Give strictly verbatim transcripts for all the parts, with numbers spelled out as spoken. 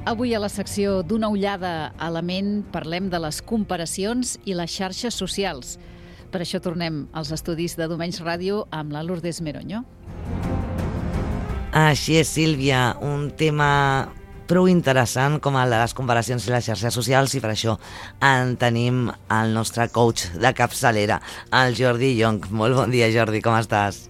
Avui a la secció d'Una ullada a la ment parlem de les comparacions i les xarxes socials. Per això tornem als estudis de Domenys Ràdio amb la Lourdes Meroño. Així és, Sílvia, un tema prou interessant com el de les comparacions i les xarxes socials, i per això en tenim el nostre coach de capçalera, el Jordi Llonch. Molt bon dia, Jordi, com estàs?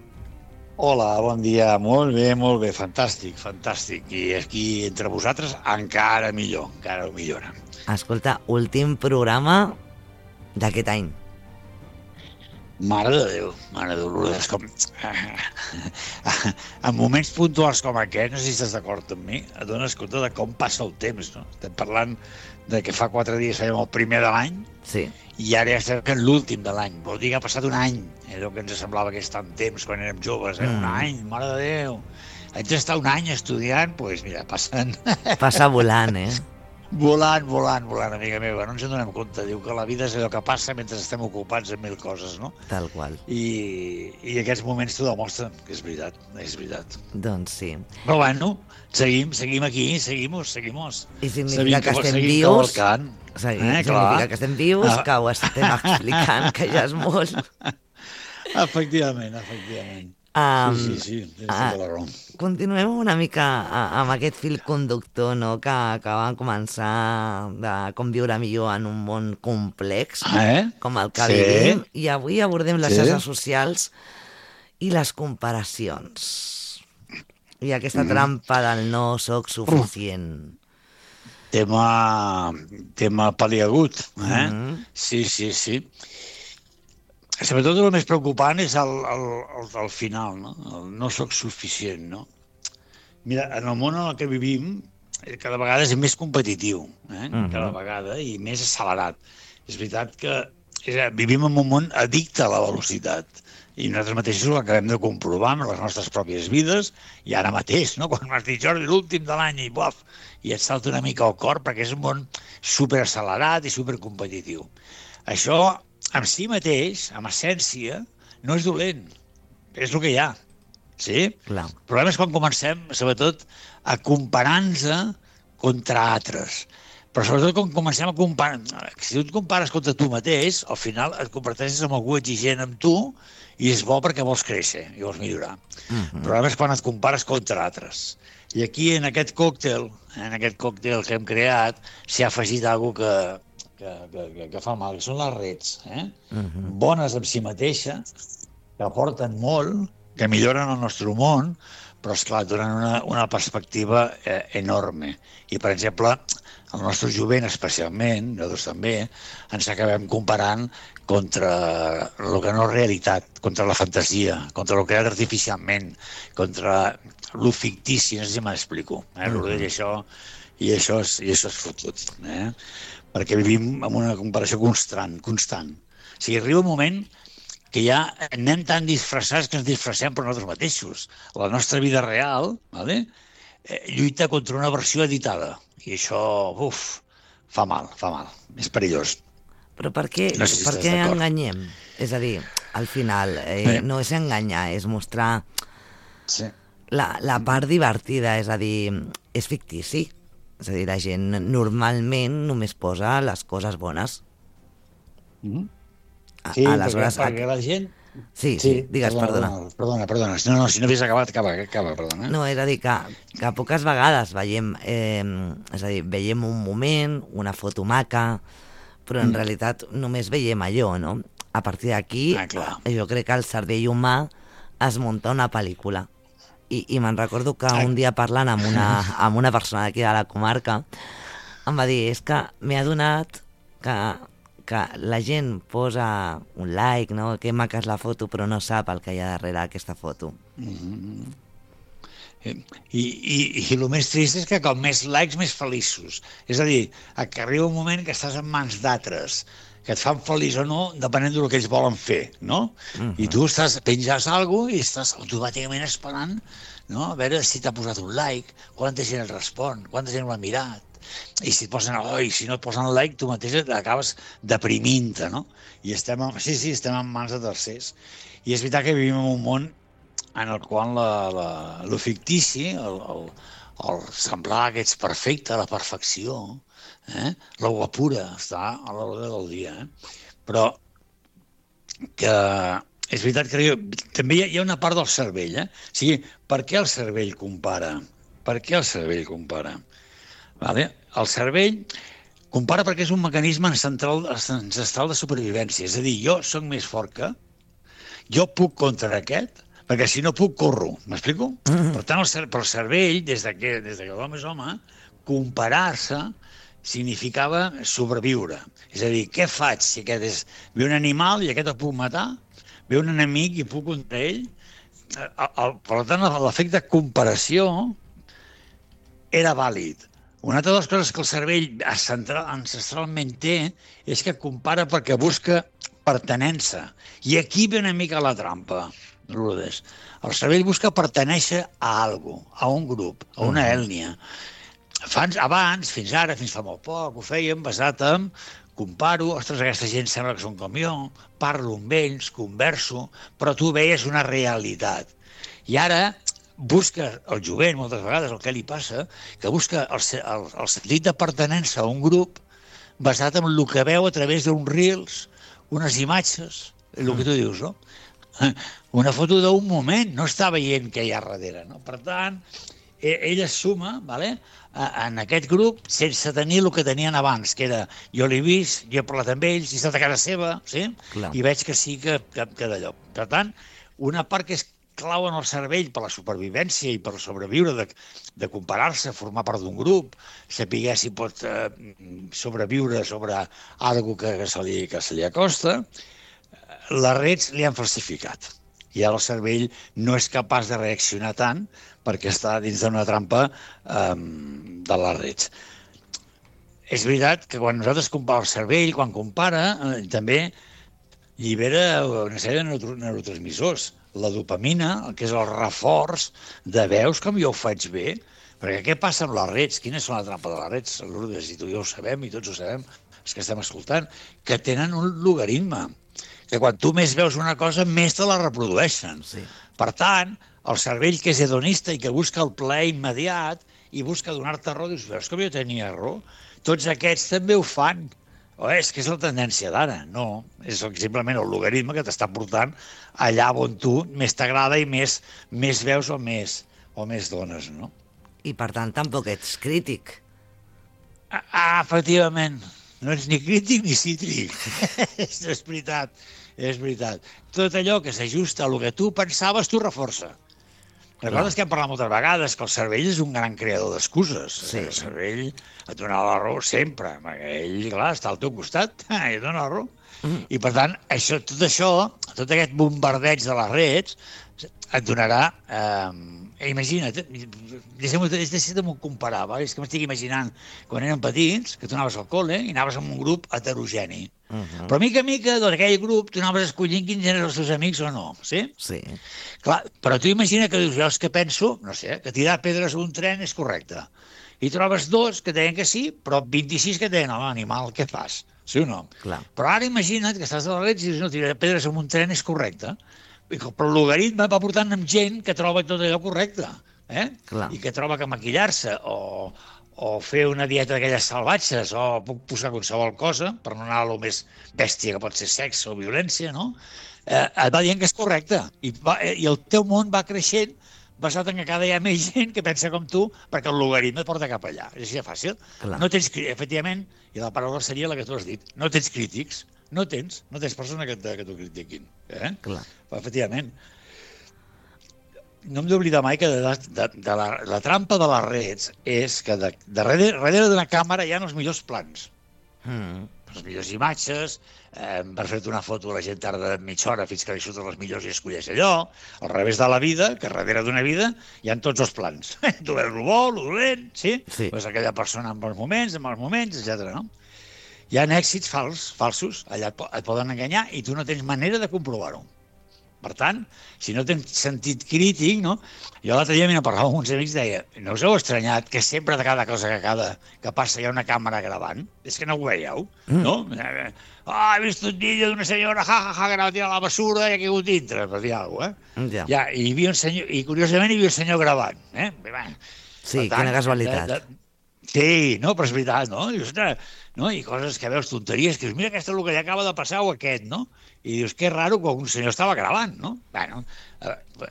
Hola, bon dia. Molt bé, molt bé. Fantàstic, fantàstic. I aquí entre vosaltres encara millor, encara ho millora. Escolta, últim programa d'aquest any. Mare de Déu, mare de Déu, és com... En moments puntuals com aquest, no sé si estàs d'acord amb mi, et dones compte de com passa el temps, no? Estem parlant de que fa quatre dies fèiem el primer de l'any, sí, i ara ja estem en l'últim de l'any. Vol dir que ha passat un any, allò que ens semblava que és tant temps quan érem joves, eh? Mm. Un any, mare de Déu. Haig d'estar un any estudiant, doncs pues mira, passen... Passa volant, eh? Volant, volant, volant, amiga meva. No ens en donem compte. Diu que la vida és allò que passa mentre estem ocupats en mil coses, no? Tal qual. I, i aquests moments t'ho demostren, que és veritat, és veritat. Doncs sí. Però bueno, seguim, seguim aquí, seguimos, seguimos. I significa que, que estem vius... Seguim, eh, significa que estem vius, ah. que ho estem explicant, que ja és molt. Efectivament, efectivament. Um, sí, sí, sí, tens tota la raó. Continuem una mica amb aquest fil conductor, no?, que, que vam començar de com viure millor en un món complex, eh? com el que sí. vivim, i avui abordem les sí. xarxes socials i les comparacions. I aquesta mm. trampa del no soc suficient. Tema, tema paliagut, eh? Mm. Sí, sí, sí. Sobretot el més preocupant és el, el, el, el final, no? El no soc suficient, no? Mira, en el món en el que vivim, cada vegada és més competitiu, eh? Uh-huh. Cada vegada, i més accelerat. És veritat que és, vivim en un món addicte a la velocitat, i nosaltres mateixos ho acabem de comprovar amb les nostres pròpies vides, i ara mateix, no? Quan m'has dit, Jordi, l'últim de l'any, i buaf, i et salta una mica al cor, perquè és un món superaccelerat i supercompetitiu. Això... en si mateix, amb essència, no és dolent. És el que hi ha. Sí? Clar. El problema és quan comencem, sobretot, a comparar-nos contra altres. Però sobretot quan comencem a comparar... Si tu et compares contra tu mateix, al final et converteixes en algú exigent amb tu i és bo perquè vols créixer i vols millorar. Uh-huh. El problema és quan et compares contra altres. I aquí, en aquest còctel, en aquest còctel que hem creat, s'hi ha afegit alguna cosa que... Que, que, que fa mal, que són les redes, eh? Uh-huh. Bones en si mateixes, que aporten molt, que milloren el nostre món, però, esclar, donen una, una perspectiva eh, enorme. I, per exemple, el nostre jovent, especialment, nosaltres també, ens acabem comparant contra el que no és realitat, contra la fantasia, contra el creat artificialment, contra el fictici, no sé si m'explico. Eh? Uh-huh. I això, i això és, i això és fotut, eh? Perquè vivim en una comparació constant, constant. O sigui, arriba un moment que ja anem tan disfressats que ens disfressem per nosaltres mateixos. La nostra vida real, vale? eh, lluita contra una versió editada. I això, uf, fa mal, fa mal. És perillós. Però per què, no sé si per què enganyem? És a dir, al final, eh, eh. no és enganyar, és mostrar sí. la, la part divertida, és a dir, és fictici. És a dir, la gent normalment només posa les coses bones. Mm-hmm. Sí, aleshores, perquè, perquè la gent... Sí, sí, digues, perdona. Perdona, perdona, perdona. No, no, si no havies acabat, acaba, acaba, perdona. No, és a dir, que, que poques vegades veiem, eh, és a dir, veiem un moment, una foto maca, però en mm. realitat només veiem allò, no? A partir d'aquí, ah, jo crec que el cervell humà es munta una pel·lícula. I, i me'n recordo que un dia parlant amb una, amb una persona d'aquí de la comarca em va dir, és que m'he adonat que, que la gent posa un like, no? Que maca és la foto, però no sap el que hi ha darrere aquesta foto. Mm-hmm. I, i, i el més trist és que com més likes, més feliços. És a dir, que arriba un moment que estàs en mans d'altres, que et fan feliç o no, depenent del que ells volen fer, no? Uh-huh. I tu estàs, penges alguna cosa i estàs automàticament esperant, no? A veure si t'ha posat un like, quanta gent et respon, quanta gent ho ha mirat. I si et posen, oi, si no et posen like, tu mateix acabes deprimint-te, no? I estem, en, sí, sí, estem en mans de tercers. I és veritat que vivim en un món en el qual la, la, lo fictici, el, el, el semblar que ets perfecte, la perfecció, eh? La guapura està a l'ordre del dia. Eh? Però que és veritat que jo, també hi ha, hi ha una part del cervell. Eh? O sigui, per què el cervell compara? Per què el cervell compara? Vale? El cervell compara perquè és un mecanisme ancestral, ancestral de supervivència. És a dir, jo sóc més fort que, jo puc contra aquest, perquè si no puc, corro. M'explico? Mm-hmm. Per tant, el, per el cervell, des de que, des de que l'home és home, comparar-se significava sobreviure. És a dir, què faig si aquest és... Ve un animal i aquest el puc matar? Ve un enemic i puc contra ell? El, el, per tant, l'efecte comparació era vàlid. Una altra de les coses que el cervell central, ancestralment té és que compara perquè busca pertenença. I aquí ve una mica la trampa, Lourdes. El cervell busca pertenèixer a algo, a un grup, a una ètnia. Fans, abans, fins ara, fins fa molt poc, ho fèiem basat en comparo, ostres, aquesta gent sembla que són com jo, parlo amb ells, converso, però tu veies una realitat. I ara busca el jovent, moltes vegades, el que li passa, que busca el, el, el sentit de pertenença a un grup basat en el que veu a través d'uns reels, unes imatges, el que tu dius, no? Una foto d'un moment, no està veient què hi ha darrere, no? Per tant, ell es suma, vale? En aquest grup sense tenir el que tenien abans, que era jo l'he vist, jo he parlat amb ells, he estat a casa seva, sí? Clar. I veig que sí que, que, que d'allò. Per tant, una part que és clau en el cervell per la supervivència i per sobreviure, de, de comparar-se, formar part d'un grup, saber si pot eh, sobreviure sobre alguna que, que, se li, que se li acosta, les redes li han falsificat. I ara el cervell no és capaç de reaccionar tant perquè està dins d'una trampa um, de les redes. És veritat que quan nosaltres comparem el cervell, quan compara, eh, també llibera una sèrie de neurotransmissors. La dopamina, que és el reforç de veus com jo ho faig bé, perquè què passa amb les redes? Quines són la trampa de les redes? Lourdes, i tu i jo ho sabem, i tots ho sabem, els que estem escoltant, que tenen un logaritme, que quan tu més veus una cosa, més te la reprodueixen. Sí. Per tant, el cervell que és hedonista i que busca el plaer immediat i busca donar-te raó, dius, veus com jo tenia raó? Tots aquests també ho fan. O és que és la tendència d'ara. No, és simplement el logaritme que t'està portant allà on tu més t'agrada i més, més veus o més, o més dones, no? I per tant tampoc ets crític. Ah, ah efectivament. No ets ni crític ni cítric. És veritat, és veritat. Tot allò que s'ajusta a el que tu pensaves, tu reforça. Recordes que hem parlat moltes vegades que el cervell és un gran creador d'excuses. Sí. El cervell et dona la raó sempre. Ell, clar, està al teu costat i et dona la raó. Mm. I, per tant, això, tot això, tot aquest bombardeig de les redes, et donarà... Eh, imagina't, deixa'm-ho comparar, va? És que m'estic imaginant quan érem petits, que tu anaves al col·le i anaves amb un grup heterogeni. Uh-huh. Però mica a mica, d'aquell grup, tu anaves escollint quins eren els teus amics o no, sí? Sí. Clar, però tu imagina que dius, jo és que penso, no sé, que tirar pedres a un tren és correcte. I trobes dos que deien que sí, però vint-i-sis que deien, home, animal, què fas? Sí o no? Clar. Però ara imagina't que estàs a la red i dius, no, tirar pedres a un tren és correcte. Però el logaritme va portant amb gent que troba tot allò correcte, eh? I que troba que maquillar-se o, o fer una dieta d'aquelles salvatges o puc posar qualsevol cosa per no anar a lo més bèstia que pot ser sexe o violència, no? Eh, et va dient que és correcte i, va, i el teu món va creixent basat en que cada dia hi ha més gent que pensa com tu perquè el logaritme et porta cap allà. És així de fàcil. Clar. No tens, efectivament, i la paraula seria la que tu has dit, no tens crítics. No tens, no tens persona que, que t'ho critiquin. Eh? Clar. Efectivament. No hem d'oblidar mai que de, de, de la, la trampa de les redes és que de, de darrere, darrere d'una càmera hi ha els millors plans. Mm. Les millors imatges, eh, per fer-te una foto la gent tarda mitja hora fins que li surten les millors i escolleix allò. Al revés de la vida, que darrere d'una vida hi ha tots els plans. Tu veus el bo, el dolent, sí? Sí. Veus aquella persona en bons moments, en mals moments, etcètera, no? Hi ha èxits fals, falsos, allà et poden enganyar i tu no tens manera de comprovar-ho. Per tant, si no tens sentit crític, no? Jo l'altre dia m'hi parlava amb uns amics i deia, no us heu estranyat que sempre de cada cosa que, cada, que passa hi ha una càmera gravant? És que no ho veieu, mm. no? Ah, he vist un vídeo d'una senyora, ja, ja, ja, que anava a tirar la basura i ha caigut dintre, per dir alguna cosa, eh? Ja. Ja, i, hi havia un senyor, i curiosament hi havia un senyor gravant, eh? Sí, tant, quina casualitat. De, de... Sí, no, però és veritat, no? I, ostres, no? I coses que veus, tonteries, que dius, mira, aquesta és el que ja acaba de passar o aquest, no? I dius, que raro que un senyor estava gravant, no? Bueno,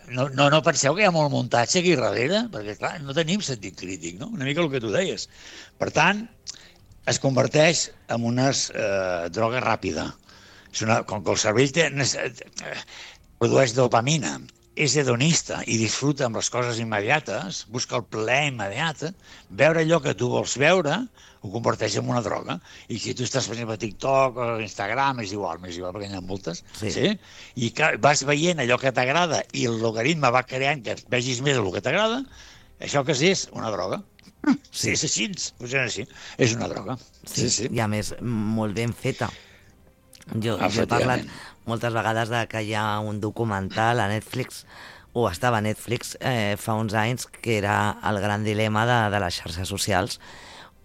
no, no, no penseu que hi ha molt muntatge aquí darrere, perquè, clar, no tenim sentit crític, no? Una mica el que tu deies. Per tant, es converteix en una eh, droga ràpida. És una, com que el cervell té, eh, produeix dopamina, és hedonista i disfruta amb les coses immediates, busca el plaer immediat, veure allò que tu vols veure ho converteix en una droga. I si tu estàs fent a TikTok o Instagram, és igual, és igual perquè n'hi ha moltes, sí. Sí? I que vas veient allò que t'agrada i el logaritme va creant que vegis més el que t'agrada, això que és una droga. Sí, és així, és així, és una droga. Sí, sí, sí. I a més, molt ben feta. Jo, jo he parlat moltes vegades de que hi ha un documental a Netflix, o estava a Netflix eh, fa uns anys, que era el gran dilema de, de les xarxes socials,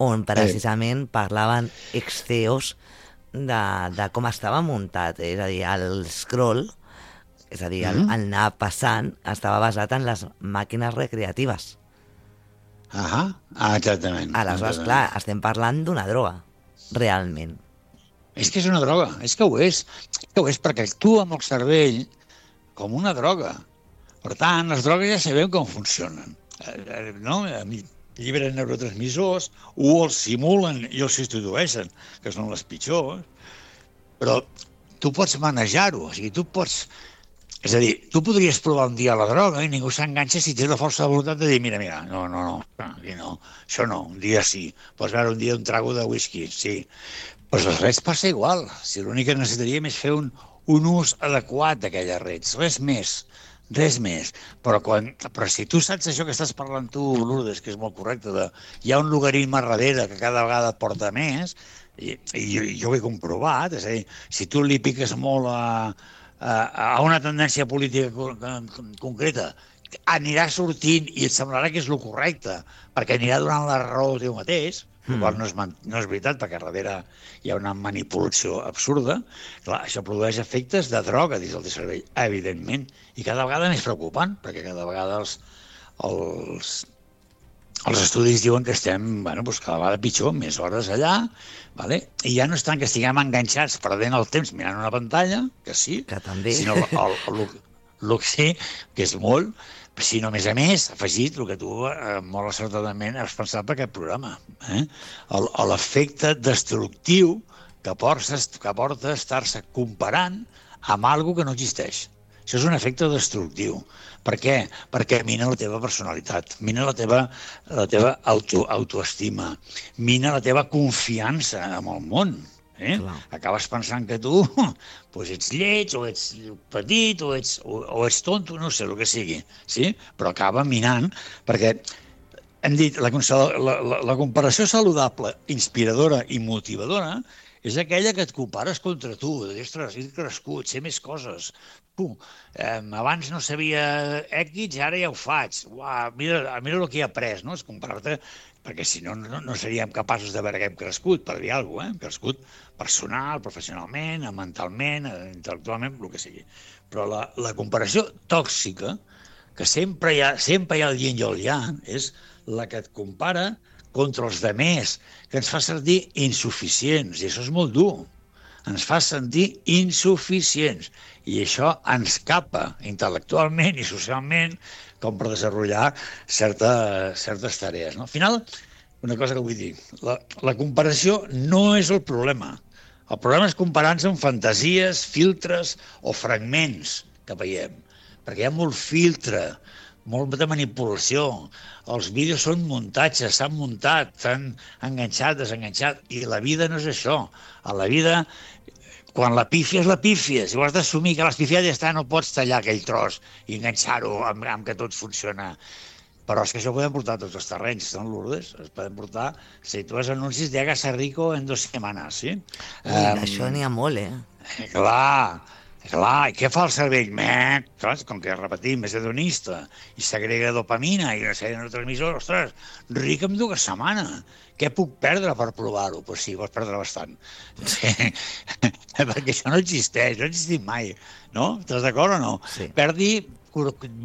on precisament parlaven ex C E Os de, de com estava muntat, és a dir, el scroll, és a dir, el, el anar passant, estava basat en les màquines recreatives. Ah, ah exactament. Aleshores, exactament. Clar, estem parlant d'una droga, realment. És que és una droga, és que ho és. És que ho és perquè actua amb el cervell com una droga. Per tant, les drogues ja sabem com funcionen. Eh, no? Llibren neurotransmissors, o els simulen i els substitueixen, que són les pitjors. Però tu pots manejar-ho, o sigui, tu pots... És a dir, tu podries provar un dia la droga i ningú s'enganxa si tens la força de voluntat de dir, mira, mira, no, no, no, aquí no, això no, un dia sí. Pots veure un dia un trago de whisky, sí. Però les reds passa igual. Si l'únic que necessitaríem és fer un, un ús adequat d'aquelles reds. Res més, res més. Però, quan, però si tu saps això que estàs parlant tu, Lourdes, que és molt correcte, de, hi ha un logaritme darrere que cada vegada et porta més, i, i jo, jo ho he comprovat, és a dir, si tu li piques molt a, a, a una tendència política concreta, anirà sortint i et semblarà que és el correcte, perquè anirà donant la raó a teu mateix, el qual no és, no és veritat, perquè darrere hi ha una manipulació absurda. Clar, això produeix efectes de droga dins del teu cervell, evidentment, i cada vegada més preocupant, perquè cada vegada els, els, els estudis diuen que estem, bueno, doncs cada vegada pitjor, més hores allà, vale? I ja no és tant que estiguem enganxats perdent el temps mirant una pantalla, que sí, que també. Sinó el, el, el, el que sí, que és molt, sinó, a més a més, afegit el que tu eh, molt acertadament has pensat per aquest programa. Eh? L'efecte destructiu que porta, que porta a estar-se comparant amb alguna que no existeix. Això és un efecte destructiu. Per què? Perquè mina la teva personalitat, mina la teva, la teva auto, autoestima, mina la teva confiança en el món. Eh? Acabes pensant que tu pues ets lleig, o ets petit, o ets, o, o ets tonto, no sé, el que sigui, sí? Però acaba minant, perquè hem dit, la, la, la, la comparació saludable, inspiradora i motivadora és aquella que et compares contra tu, de dir, ostres, he crescut, sé més coses, tu, eh, abans no sabia X i ara ja ho faig, uah, mira, mira el que he après, no? És comparar-te, perquè si no, no, no seríem capaços de veure que hem crescut, per dir alguna cosa, eh? Hem crescut personal, professionalment, mentalment, intel·lectualment, el que sigui. Però la, la comparació tòxica, que sempre hi ha, sempre hi ha el yin i el yang, és la que et compara contra els demés, que ens fa sentir insuficients, i això és molt dur. Ens fa sentir insuficients, i això ens capa intel·lectualment i socialment com per desenvolupar certa, certes tarees. No? Al final, una cosa que vull dir, la, la comparació no és el problema. El problema és comparar-nos amb fantasies, filtres o fragments que veiem, perquè hi ha molt filtre, molta manipulació. Els vídeos són muntatges, s'han muntat, s'han enganxat, desenganxat, i la vida no és això. A la vida, quan la pífia és la pífia, si ho has d'assumir que l'has pifiat ja està, no pots tallar aquell tros i enganxar-ho amb, amb que tot funciona. Però és que això ho podem portar a tots els terrenys, no, Lourdes? Es poden portar, si tu has anuncis d'Hágase rico en dos setmanes, sí? Ui, um, això n'hi ha molt, eh? Clar, Clar, i què fa el cervell? Mec, clar, com que repetim, és hedonista, i segrega dopamina i una sèrie de neurotransmissors, ostres, ric en dues setmanes. Què puc perdre per provar-ho? Doncs pues sí, pots perdre bastant. Sí. Perquè això no existeix, no ha existit mai, no? Estàs d'acord o no? Sí. Perdi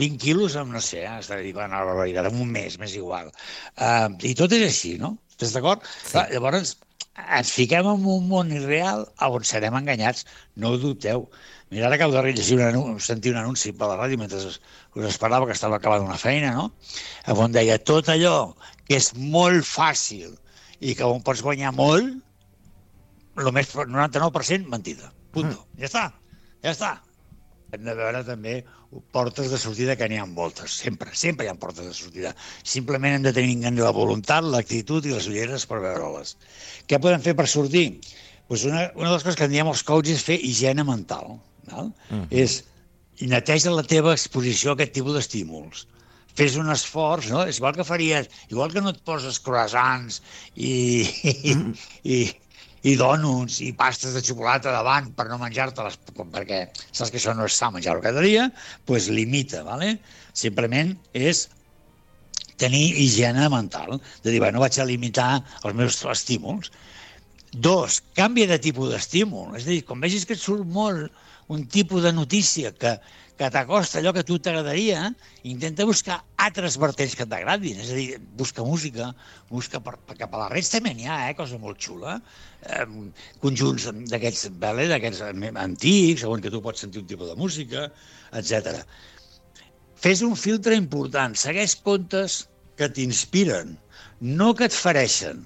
vint quilos amb, no sé, està dient una barbaritat, en un mes, m'és igual. Uh, I tot és així, no? Estàs d'acord? Sí. Llavors, ens fiquem en un món irreal on serem enganyats, no ho dubteu. Mira, ara acabo de llegir un anunci, sentir un anunci per la ràdio mentre us esperava, que estava acabant una feina, no? On deia, tot allò que és molt fàcil i que on pots guanyar molt, el més noranta-nou per cent mentida. Punto. Mm. Ja està, ja està. Hem de veure també portes de sortida, que n'hi ha moltes, sempre, sempre hi ha portes de sortida. Simplement hem de tenir la voluntat, l'actitud i les ulleres per veure-les. Què podem fer per sortir? Pues una, una de les coses que en diem els coaches és fer higiene mental. Val? Uh-huh. És neteja la teva exposició a aquest tipus d'estímuls. Fes un esforç, no? És igual que faries, igual que no et poses croissants i, i, i, i dònuts i pastes de xocolata davant per no menjar-te-les, perquè saps que això no és sa menjar-ho cada dia, doncs limita, ¿vale? Simplement és tenir higiene mental, de dir, bueno, vaig a limitar els meus estímuls. Dos, canvia de tipus d'estímul, és a dir, quan vegis que et surt molt un tipus de notícia que, que t'acosta allò que a tu t'agradaria, intenta buscar altres vertents que t'agradin, és a dir, busca música, busca per, per cap a les redes també n'hi ha, eh, cosa molt xula, eh, conjunts d'aquests vale, d'aquests antics, on que tu pots sentir un tipus de música, etcètera. Fes un filtre important, segueix comptes que t'inspiren, no que et fereixen.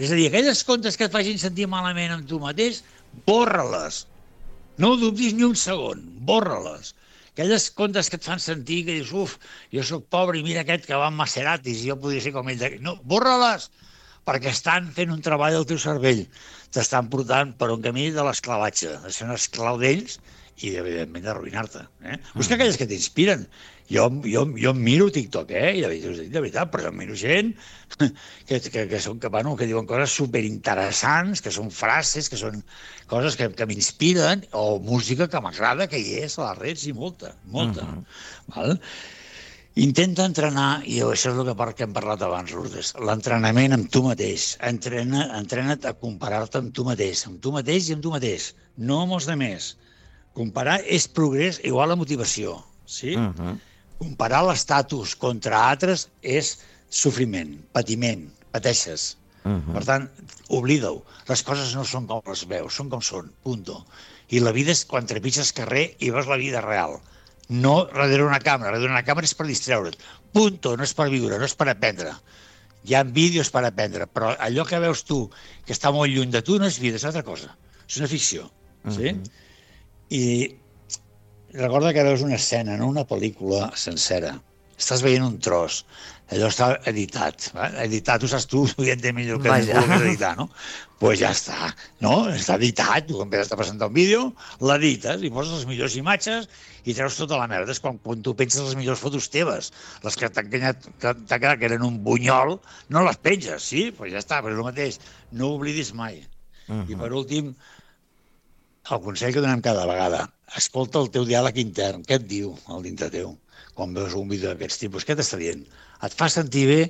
És a dir, aquelles comptes que et facin sentir malament amb tu mateix, borra-les. No ho dubtis ni un segon, borra-les. Aquelles comptes que et fan sentir que dius, uf, jo sóc pobre i mira aquest que va amb Maseratis i jo podria ser com ell. No, borra-les, perquè estan fent un treball al teu cervell. T'estan portant per un camí de l'esclavatge, de ser un esclau d'ells i, evidentment, d'arruïnar-te. Eh? Busca aquelles que t'inspiren. Jo, jo, jo em miro TikTok, eh? I de veritat, de veritat, però jo em miro gent que, que, que, són, que, bueno, que diuen coses superinteressants, que són frases, que són coses que, que m'inspiren, o música que m'agrada, que hi és a les redes, i molta, molta. Uh-huh. Val? Intenta entrenar, i això és el que, que hem parlat abans, Lourdes, l'entrenament amb tu mateix. Entrena, entrena't a comparar-te amb tu mateix, amb tu mateix i amb tu mateix, no amb els altres. Comparar és progrés igual a motivació, sí? Uh-huh. Comparar l'estatus contra altres és sofriment, patiment, pateixes. Uh-huh. Per tant, oblida-ho. Les coses no són com les veus, són com són, punto. I la vida és quan trepitges carrer i veus la vida real. No darrere una càmera, darrere una càmera és per distreure't. Punto, no és per viure, no és per aprendre. Hi ha vídeos per aprendre, però allò que veus tu, que està molt lluny de tu, no és vida, és altra cosa. És una ficció, sí? Uh-huh. I recorda que veus una escena, no una pel·lícula sencera. Estàs veient un tros. Allò està editat. Va? Editat, ho saps tu, ho entenc millor que ningú que és editar, no? Doncs pues ja està, no? Està editat, tu quan has de presentar un vídeo, l'edites i poses les millors imatges i treus tota la merda. És quan, quan tu penses les millors fotos teves, les que t'han quedat que eren un bunyol, no les penges, sí? Doncs pues ja està, però és el mateix. No ho oblidis mai. Uh-huh. I per últim, el consell que donem cada vegada, escolta el teu diàleg intern, què et diu el dintre teu quan veus un vídeo d'aquests tipus, què t'està dient? Et fa sentir bé?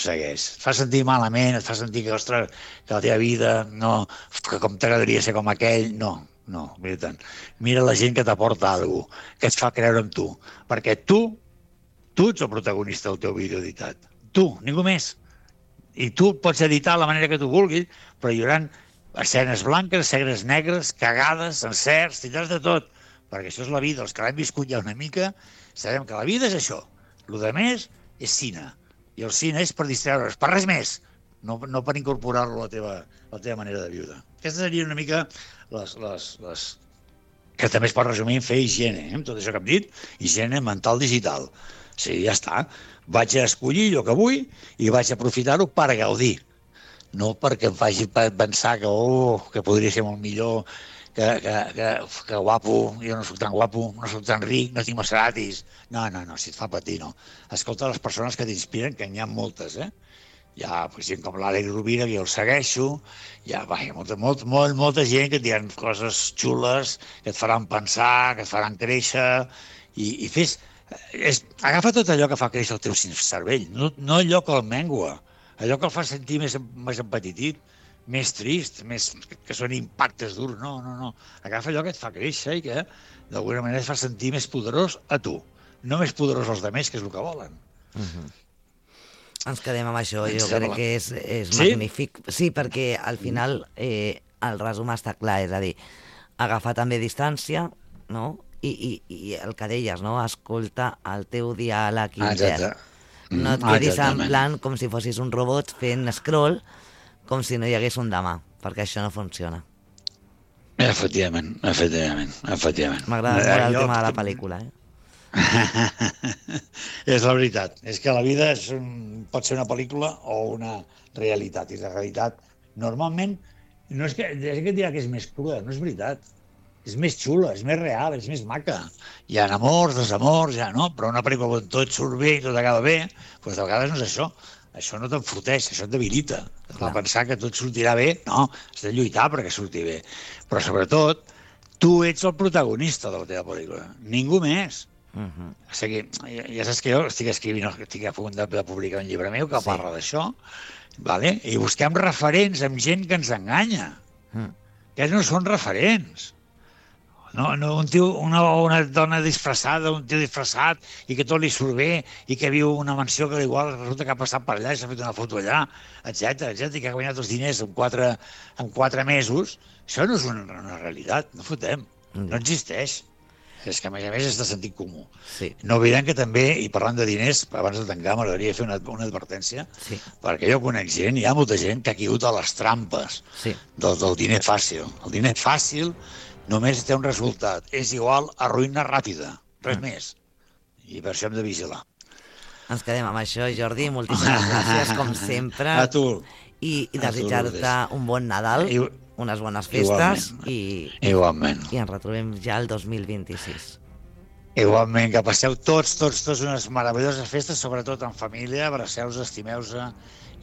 Segueix. Et fa sentir malament? Et fa sentir que, ostres, que la teva vida, no, que com t'agradaria ser com aquell? No, no, mira tant. Mira la gent que t'aporta alguna cosa, que et fa creure en tu, perquè tu, tu ets el protagonista del teu vídeo editat. Tu, ningú més. I tu pots editar la manera que tu vulguis, però hi haurà escenes blanques, escenes negres, cagades, encerts, tindràs de tot, perquè això és la vida. Els que l'hem viscut ja una mica, sabem que la vida és això. El de més és cine, i el cine és per distreure's, per res més, no, no per incorporar-lo a la teva, a la teva manera de viure. Aquestes serien una mica les, les, les... que també es pot resumir en fer higiene, eh? Tot això que hem dit, higiene mental digital. Sí, ja està. Vaig a escollir allò que vull i vaig a aprofitar-ho per gaudir. No perquè em faci pensar que, oh, que podria ser molt millor, que, que, que, que guapo, jo no soc tan guapo, no soc tan ric, no tinc Maseratis. No, no, no, si et fa patir, no. Escolta les persones que t'inspiren, que n'hi ha moltes, eh? Hi ha pues, gent com l'Àlex Rovira, que jo el segueixo, hi ha, va, hi ha molta, molt, molt, molta gent que et diran coses xules, que et faran pensar, que et faran créixer, i, i fes... És, agafa tot allò que fa créixer el teu cervell, no, no allò que el mengua, allò que el fa sentir més, més empetitit, més trist, més, que són impactes durs, no, no, no. Agafa allò que et fa créixer i que d'alguna manera et fa sentir més poderós a tu, no més poderós als altres, que és el que volen. Uh-huh. Ens quedem amb això, jo sembla. crec que és, és Sí? magnífic. Sí, perquè al final eh, el resum està clar, és a dir, agafar també distància, no? I, i, i el que deies, no? Escolta el teu diàleg intern. No et quedis en plan com si fossis un robot fent scroll, com si no hi hagués un demà, perquè això no funciona. Efectivament, efectivament, efectivament. M'agrada molt el tema de la pel·lícula, eh? És la veritat, és que la vida és un, pot ser una pel·lícula o una realitat, i la realitat normalment no és que, és que et dirà que és més crua, no és veritat, és més xula, és més real, és més maca. Hi ha amors, desamors, ja no, però una pel·lícula on tot surt bé i tot acaba bé, doncs de vegades no és això. Això no t'enforteix, això et debilita. Et fa pensar que tot sortirà bé, no, has de lluitar perquè surti bé. Però sobretot, tu ets el protagonista de la teva pel·lícula, ningú més. Uh-huh. O sigui, ja saps que jo estic escrivint, estic a punt de publicar un llibre meu que sí. parla d'això, vale? I busquem referents amb gent que ens enganya, uh-huh. que no són referents. No, no, un tio, una, una dona disfressada, un tio disfressat i que tot li surt bé i que viu una mansió que igual resulta que ha passat per allà i s'ha fet una foto allà, etcètera, etcètera, i que ha guanyat els diners en quatre, en quatre mesos. Això no és una, una realitat, no fotem, mm. no existeix. És que a més a més és de sentit comú. Sí. No oblidem que també, i parlant de diners, abans de tancar m'agradaria fer una, una advertència, sí. perquè jo conec gent, hi ha molta gent que ha caigut a les trampes sí. del, del diner fàcil. El diner fàcil només té un resultat, és igual a ruïna ràpida, res mm. més. I per això hem de vigilar. Ens quedem amb això, Jordi, moltíssimes gràcies, com sempre. A tu. I, i desitjar-te un bon Nadal, I, unes bones festes, igualment. i, igualment. i ens retrobem ja el dos mil vint-i-sis. Igualment, que passeu tots, tots, tots unes meravelloses festes, sobretot en família, abraceu-vos, estimeu-vos,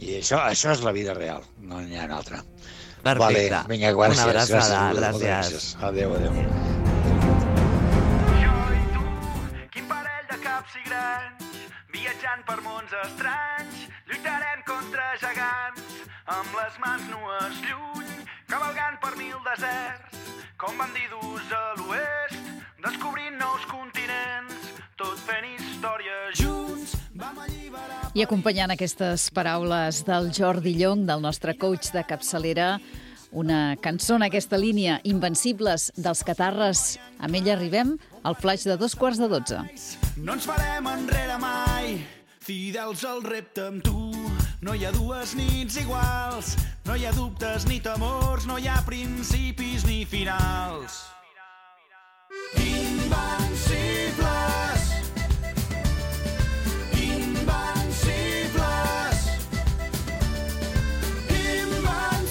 i això, això és la vida real, no n'hi ha una altra. Perfecte. Vale, vinga, gràcies. Una abraçada, gràcies. gràcies. Adéu, adéu. Jo i tu, quin parell de caps i grans, viatjant per mons estranys, lluitarem contra gegants, amb les mans nues lluny, cavalgant per mil deserts, com bandidos a l'oest, descobrint nous continents, tot fent història junts, vam alliberar... I acompanyant aquestes paraules del Jordi Llong, del nostre coach de capçalera, una cançó en aquesta línia, Invencibles, dels Catarres. Amb ella arribem al flaix de dos quarts de dotze. No ens farem enrere mai, fidels al repte amb tu. No hi ha dues nits iguals, no hi ha dubtes ni temors, no hi ha principis ni finals. Invencibles, invencibles, invencibles,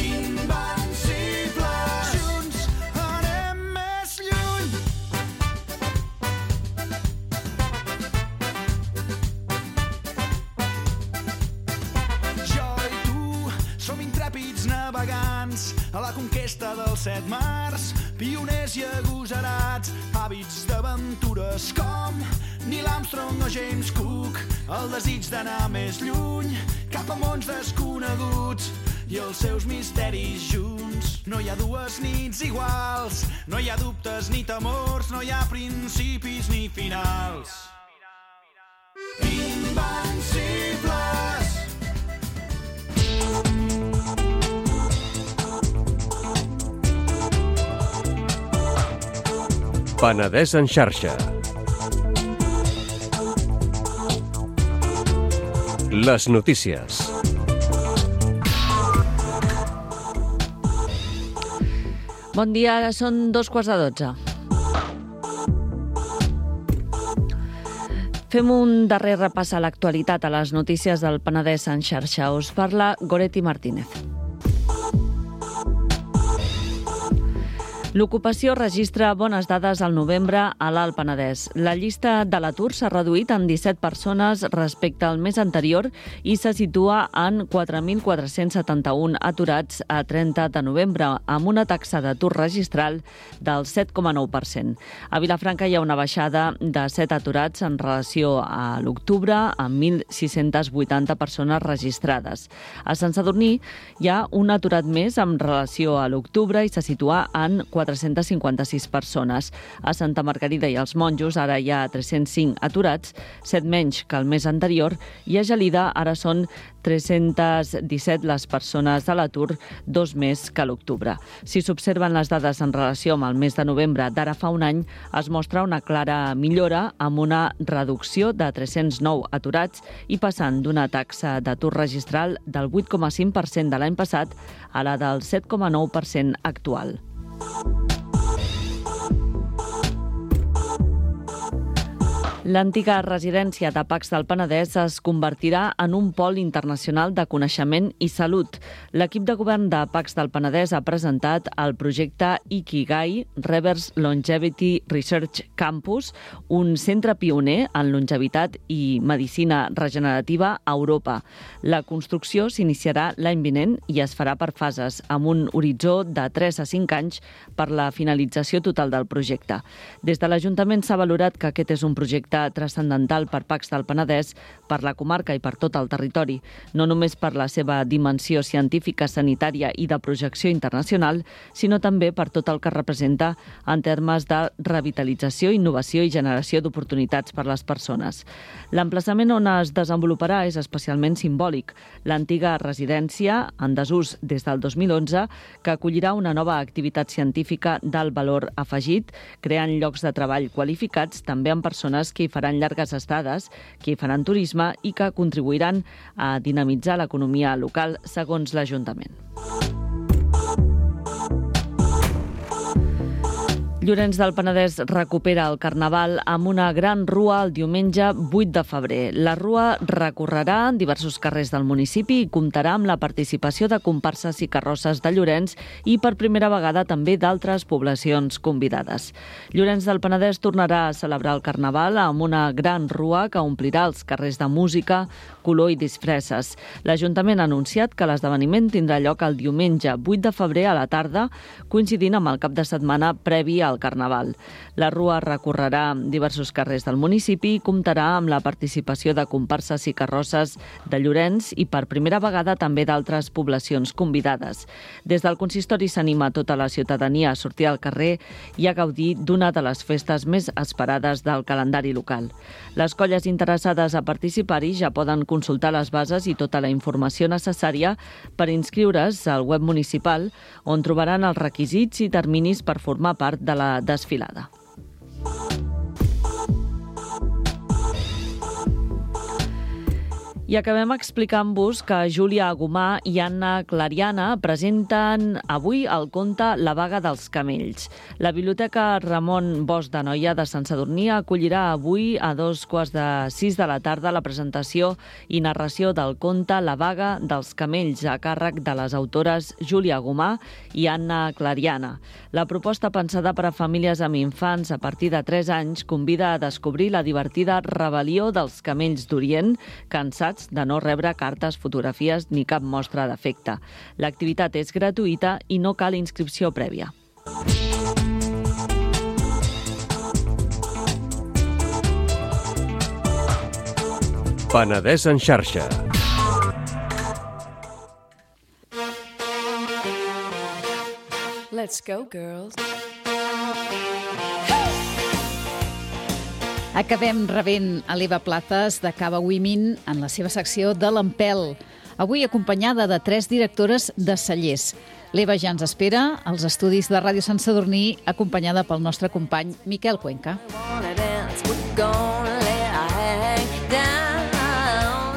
invencibles. Junts anem més lluny. Jo i tu som intrèpids navegants a la conquesta dels set mars, pioners i agosarats, hàbits d'aventures com Neil Armstrong o James Cook, el desig d'anar més lluny, cap a mons desconeguts i els seus misteris junts. No hi ha dues nits iguals, no hi ha dubtes ni temors, no hi ha principis ni finals. Invencibles. Penedès en xarxa. Les notícies. Bon dia, ara són dos quarts de dotze. Fem un darrer repàs a l'actualitat a les notícies del Penedès en xarxa. Us parla Goretti Martínez. L'ocupació registra bones dades al novembre a l'Alt Penedès. La llista de l'atur s'ha reduït en disset persones respecte al mes anterior i se situa en quatre mil quatre-cents setanta-un aturats a trenta de novembre, amb una taxa d'atur registral del set coma nou per cent. A Vilafranca hi ha una baixada de set aturats en relació a l'octubre, amb mil sis-cents vuitanta persones registrades. A Sant Sadurní hi ha un aturat més en relació a l'octubre i se situa en quatre-cents cinquanta-sis persones. A Santa Margarida i els Monjos ara hi ha tres-cents cinc aturats, set menys que el mes anterior, i a Gelida ara són tres-cents disset les persones a l'atur, dos més que a l'octubre. Si s'observen les dades en relació amb el mes de novembre d'ara fa un any, es mostra una clara millora amb una reducció de tres-cents nou aturats i passant d'una taxa d'atur registral del vuit coma cinc per cent de l'any passat a la del set coma nou per cent actual. L'antiga residència de Pacs del Penedès es convertirà en un pol internacional de coneixement i salut. L'equip de govern de Pacs del Penedès ha presentat el projecte Ikigai Reverse Longevity Research Campus, un centre pioner en longevitat i medicina regenerativa a Europa. La construcció s'iniciarà l'any vinent i es farà per fases, amb un horitzó de tres a cinc anys per la finalització total del projecte. Des de l'Ajuntament s'ha valorat que aquest és un projecte transcendental per Pacs del Penedès, per la comarca i per tot el territori, no només per la seva dimensió científica, sanitària i de projecció internacional, sinó també per tot el que representa en termes de revitalització, innovació i generació d'oportunitats per les persones. L'emplaçament on es desenvoluparà és especialment simbòlic. L'antiga residència, en desús des del dos mil onze, que acollirà una nova activitat científica d'alt valor afegit, creant llocs de treball qualificats també amb persones que hi faran llargues estades, que hi faran turisme i que contribuiran a dinamitzar l'economia local, segons l'Ajuntament. Llorenç del Penedès recupera el Carnaval amb una gran rua el diumenge vuit de febrer. La rua recorrerà en diversos carrers del municipi i comptarà amb la participació de comparses i carrosses de Llorenç i per primera vegada també d'altres poblacions convidades. Llorenç del Penedès tornarà a celebrar el Carnaval amb una gran rua que omplirà els carrers de música, color i disfresses. L'Ajuntament ha anunciat que l'esdeveniment tindrà lloc el diumenge vuit de febrer a la tarda, coincidint amb el cap de setmana previ al Carnaval. La rua recorrerà diversos carrers del municipi i comptarà amb la participació de comparses i carrosses de Llorenç i per primera vegada també d'altres poblacions convidades. Des del consistori s'anima tota la ciutadania a sortir al carrer i a gaudir d'una de les festes més esperades del calendari local. Les colles interessades a participar-hi ja poden consultar les bases i tota la informació necessària per inscriure's al web municipal, on trobaran els requisits i terminis per formar part de la desfilada. I acabem explicant-vos que Júlia Agumà i Anna Clariana presenten avui el conte La vaga dels camells. La Biblioteca Ramon Bosch de Noia de Sant Sadurní acollirà avui a dos quarts de sis de la tarda la presentació i narració del conte La vaga dels camells a càrrec de les autores Júlia Agumà i Anna Clariana. La proposta pensada per a famílies amb infants a partir de tres anys convida a descobrir la divertida rebel·lió dels camells d'Orient, cansats de no rebre cartes, fotografies ni cap mostra d'afecte. L'activitat és gratuïta i no cal inscripció prèvia. Penedès en xarxa. Let's go, girls. Acabem rebent a l'Eva Plazas de Cava Women en la seva secció de l'Empel. Avui acompanyada de tres directores de cellers. L'Eva ja ens espera als estudis de Ràdio Sant Sadurní, acompanyada pel nostre company Miquel Cuenca.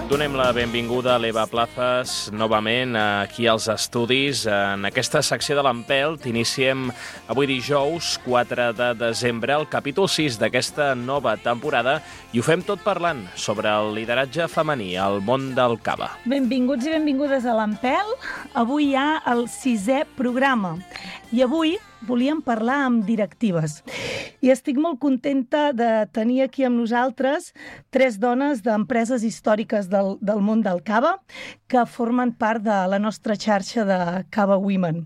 Donem la benvinguda a l'Eva Plazas novament aquí als estudis. En aquesta secció de l'Empel t'iniciem avui dijous quatre de desembre el capítol sis d'aquesta nova temporada i ho fem tot parlant sobre el lideratge femení al món del cava. Benvinguts i benvingudes a l'Empel. Avui hi ha el sisè programa I avui volíem parlar amb directives. I estic molt contenta de tenir aquí amb nosaltres tres dones d'empreses històriques del, del món del cava que formen part de la nostra xarxa de Cava Women.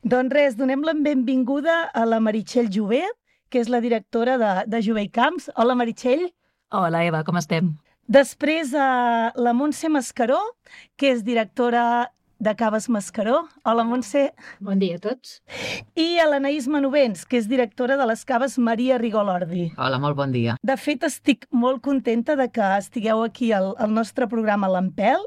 Doncs res, donem la benvinguda a la Meritxell Jové, que és la directora de, de Jové i Camps. Hola, Meritxell. Hola, Eva, com estem? Després, a la Montse Mascaró, que és directora de Caves Mascaró. Hola, Montse. Bon dia a tots. I a l'Anaïs Manovens, que és directora de les Caves Maria Rigolordi. Hola, molt bon dia. De fet, estic molt contenta de que estigueu aquí al, al nostre programa L'Empel